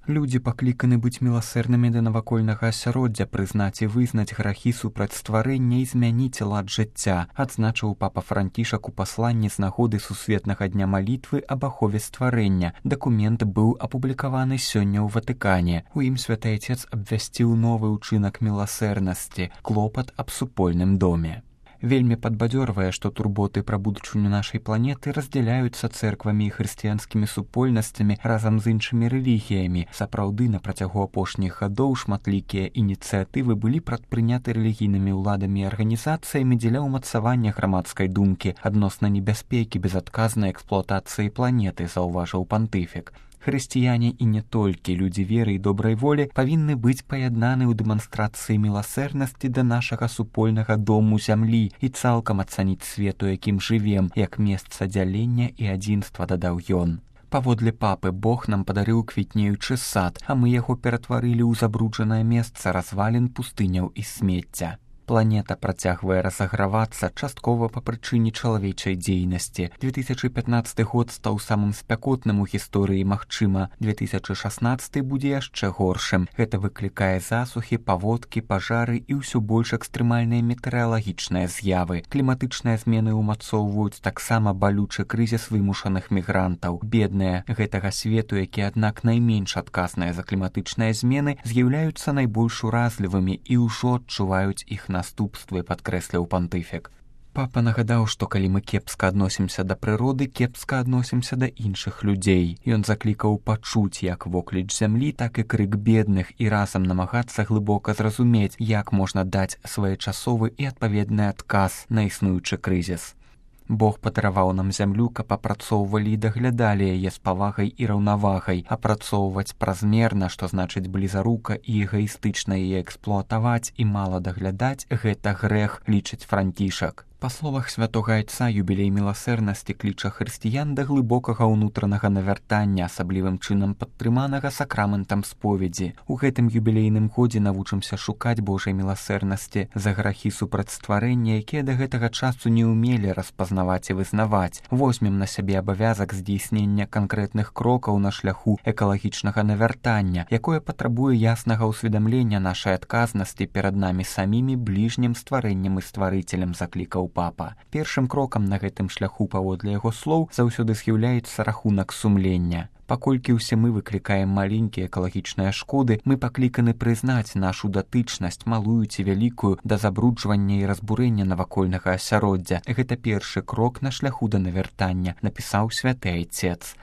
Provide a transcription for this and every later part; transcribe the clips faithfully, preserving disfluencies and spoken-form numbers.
Людзі пакліканы быць міласэрнымі да навакольнага асяроддзя, прызнаць і вызнаць грахі супраць стварэння і змяніць лад жыцця, адзначыў папа Францішак у пасланні з нагоды сусветнага дня малітвы аб ахове стварэння. Дакумент быў апублікаваны сёння ў Ватыкане. У ім святы Айцец абвясціў новы ўчынак міласэрнасці – клопат аб супольным доме. Вельмі падбадзёрвае, што турботы пра будучыню нашай планеты раздзяляюцца цэрквамі і хрысціянскімі супольнасцямі разам з іншымі рэлігіямі. Сапраўды, на працягу апошніх гадоў шматлікія ініцыятывы былі прадпрыняты рэлігійнымі ўладамі і арганізацыямі дзеля ўмацавання грамадскай думкі адносна небяспекі безадказнай эксплуатацыі планеты, заўважыў пантыфік. Хрысціяне і не толькі людзі веры і добрай волі павінны быць паяднаны ў дэманстрацыі міласэрнасці да нашага супольнага дому зямлі і цалкам ацаніць свет, у якім жывем, як месца дзялення і адзінства, дадаў ён. Паводле папы, Бог нам падарыў квітнеючы сад, а мы яго ператварылі ў забруджанае месца развалін, пустыняў і смецця. Планета працягвае разагравацца часткова па прычыне чалавечай дзейнасці. две тысячы пятнаццаты год стаў самым спякотным у гісторыі, магчыма, две тысячы шаснаццаты будзе яшчэ горшым. Гэта выклікае засухі, паводкі, пажары і ўсё больш экстрэмальныя метэаралагічныя з'явы. Кліматычныя змены ўмацоўваюць таксама балючы крызіс вымушаных мігрантаў. Бедныя гэтага свету, які, аднак, найменш адказныя за кліматычныя змены, з'яўляюцца найбольш уразлівымі і ўжо адчуваюць іх наступствы, падкрэсліў пантыфік. Папа нагадаў, што калі мы кепска адносімся да прыроды, кепска адносімся да іншых людзей. Ён заклікаў пачуць як вокліч зямлі, так і крык бедных і разам намагацца глыбока зразумець, як можна даць своечасовы і адпаведны адказ на існуючы крызіс. Бог падараваў нам зямлю, каб апрацоўвалі і даглядалі яе з павагай і раўнавагай. Апрацоўваць празмерна, што значыць блізарука і эгаістычна яе эксплуатаваць і мала даглядаць – гэта грэх, лічыць Францішак. Па словах святога Айца, юбілей міласэрнасці кліча хрысціян да глыбокага ўнутранага навяртання, асаблівым чынам падтрыманага сакраментам споведзі. У гэтым юбілейным годзе навучымся шукаць Божай міласэрнасці за грахі супраць стварэння, якія да гэтага часу не ўмелі распазнаваць і вызнаваць. Возьмем на сябе абавязак здзейснення канкрэтных крокаў на шляху экалагічнага навяртання, якое патрабуе яснага ўсведамлення нашай адказнасці перад намі самімі, бліжнім стварэннем і стварыцелем, заклікаў папа. Першым крокам на гэтым шляху, паводле яго слоў, заўсёды з'яўляецца рахунак сумлення. Паколькі ўсе мы выклікаем маленькія экалагічныя шкоды, мы пакліканы прызнаць нашу датычнасць, малую ці вялікую, да забруджвання і разбурэння навакольнага асяроддзя. Гэта першы крок на шляху да навяртання, напісаў святы Айцец.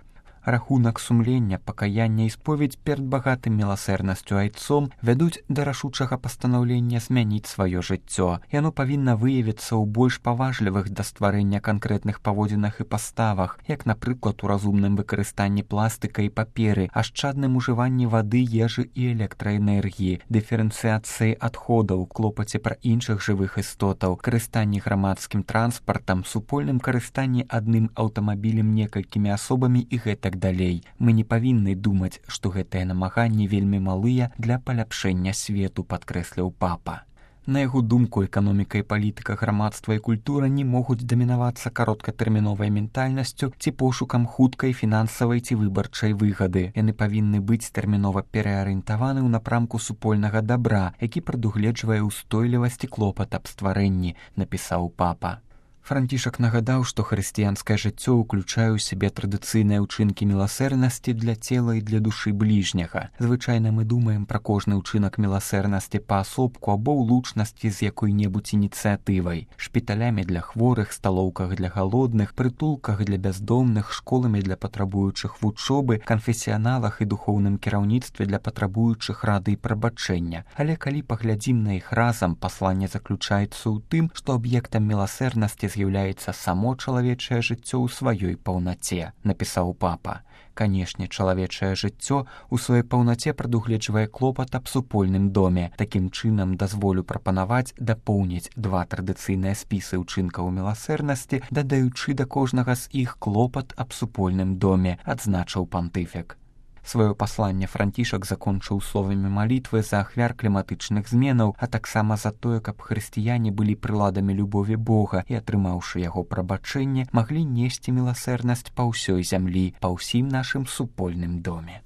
Рахунак сумлення, пакаяння і споведь перад багатым міласэрнасцю айцом вядуць да рашучага пастанаўлення змяніць сваё жыццё. Яно павінна выявіцца ў больш паважлівых да стварэння канкрэтных паводзінах і паставах, як, напрыклад, у разумным выкарыстанні пластыка і паперы, ашчадным ужыванні вады, ежы і электраэнергіі, дыферэнцыяцыі адходаў, клопаце пра іншых жывых істотаў, карыстанні грамадскім транспартам, супольным карыстанні адным аўтамабілем некалькімі асобамі і гэтак далей. Мы не павінны думаць, што гэтыя намаганні вельмі малыя для паляпшэння свету, падкрэсліў папа. На яго думку, эканоміка і палітыка, грамадства і культура не могуць дамінавацца кароткатэрміновай ментальнасцю ці пошукам хуткай фінансавай ці выбарчай выгады. Яны павінны быць тэрмінова пераарыентаваны ў напрамку супольнага дабра, які прадугледжвае ўстойлівасць і клопат аб стварэнні, напісаў папа. Францішак нагадаў, што хрысціянскае жыццё ўключае ў сябе традыцыйныя ўчынкі міласэрнасці для цела і для душы бліжняга. Звычайна мы думаем пра кожны ўчынак міласэрнасці паасобку або ў лучнасці з якой-небудзь ініцыятывай. Шпіталямі для хворых, сталоўках для галодных, прытулках для бяздомных, школамі для патрабуючых вучобы, канфесіяналах і духоўным кіраўніцтве для патрабуючых рады і прабачэння. Але калі паглядзім на іх разам, пасланне заключаецца ў тым, што аб'ектам міласэрнасці з'яўляецца само чалавечае жыццё ў сваёй паўнаце, напісаў папа. Канешне, чалавечае жыццё ў сваёй паўнаце прадугледжвае клопат аб супольным доме. Такім чынам дазволю прапанаваць дапоўніць два традыцыйныя спісы ўчынкаў міласэрнасці, дадаючы да кожнага з іх клопат аб супольным доме, адзначыў пантыфік. Сваё пасланне Францішак закончыў словамі малітвы за ахвяр кліматычных зменаў, а таксама за тое, каб хрысціяне былі прыладамі любові Бога і, атрымаўшы яго прабачэнне, маглі несці міласэрнасць па ўсёй зямлі, па ўсім нашым супольным доме.